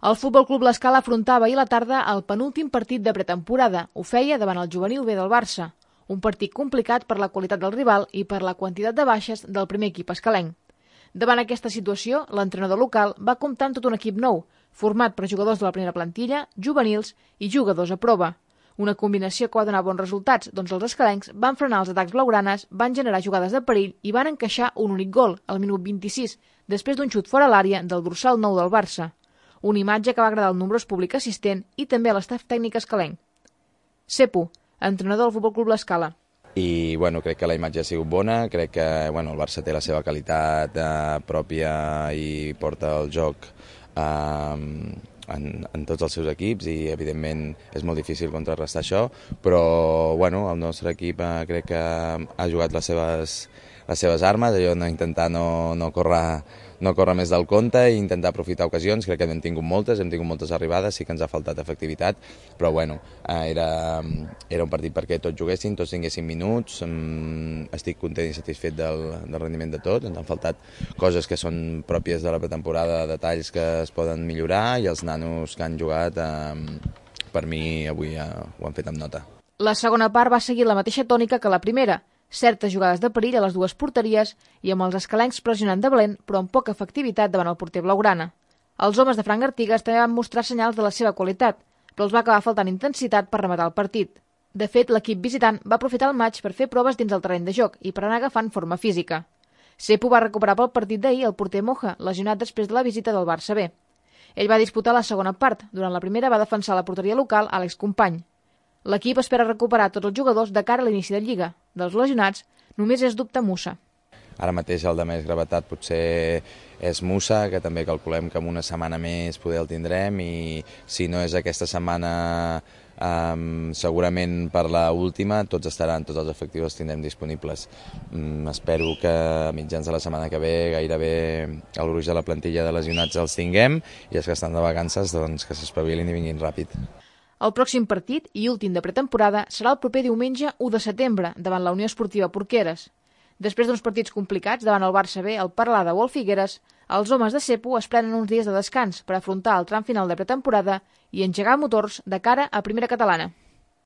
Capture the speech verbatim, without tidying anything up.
El Futbol Club L'Escala afrontava ahir a la tarda el penúltim partit de pretemporada. Ho feia davant el juvenil B del Barça. Un partit complicat per la qualitat del rival i per la quantitat de baixes del primer equip escalenc. Davant aquesta situació, l'entrenador local va comptar amb tot un equip nou, format per jugadors de la primera plantilla, juvenils i jugadors a prova. Una combinació que va donar bons resultats, doncs els escalencs van frenar els atacs blaugranes, van generar jugades de perill i van encaixar un únic gol, al minut vint-i-sis, després d'un xut fora l'àrea del dorsal nou del Barça. Una imatge que va agradar al nombrós públic assistent i també a l'estaf tècnic escalenc. Sepu, entrenador del Futbol Club L'Escala. I bueno, crec que la imatge ha sigut bona, crec que bueno, el Barça té la seva qualitat eh, pròpia i porta el joc eh, en, en tots els seus equips i evidentment és molt difícil contrarrestar això, però bueno, el nostre equip eh, crec que ha jugat les seves, les seves armes, allò no intentar no, no córrer no córrer més del compte i intentar aprofitar ocasions. Crec que hem tingut moltes, hem tingut moltes arribades, sí que ens ha faltat efectivitat, però bueno, era, era un partit perquè tots juguessin, tots tinguessin minuts, estic content i satisfet del, del rendiment de tot, ens han faltat coses que són pròpies de la pretemporada, detalls que es poden millorar i els nanos que han jugat, eh, per mi avui eh, ho han fet amb nota. La segona part va seguir la mateixa tònica que la primera, certes jugades de perill a les dues porteries i amb els escalencs pressionant de valent, però amb poca efectivitat davant el porter blaugrana. Els homes de Frank Artigas també van mostrar senyals de la seva qualitat, però els va acabar faltant intensitat per rematar el partit. De fet, l'equip visitant va aprofitar el maig per fer proves dins el terreny de joc i per anar agafant forma física. Sepu va recuperar pel partit d'ahir el porter Moja, lesionat després de la visita del Barça B. Ell va disputar la segona part. Durant la primera va defensar la porteria local Àlex Company. L'equip espera recuperar tots els jugadors de cara a l'inici de Lliga. Dels lesionats, només és dubte Musa. Ara mateix el de més gravetat potser és Musa, que també calculem que en una setmana més poder el tindrem i si no és aquesta setmana, um, segurament per la última, tots estaran, tots els efectius els tindrem disponibles. Um, espero que a mitjans de la setmana que ve gairebé el gruix de la plantilla de lesionats els tinguem i els que estan de vacances doncs, que s'espavilin i vinguin ràpid. El pròxim partit i últim de pretemporada serà el proper diumenge u de setembre davant la Unió Esportiva Porqueres. Després d'uns partits complicats davant el Barça B, el Peralada o el Figueres, els homes de Sepu es prenen uns dies de descans per afrontar el tram final de pretemporada i engegar motors de cara a Primera Catalana.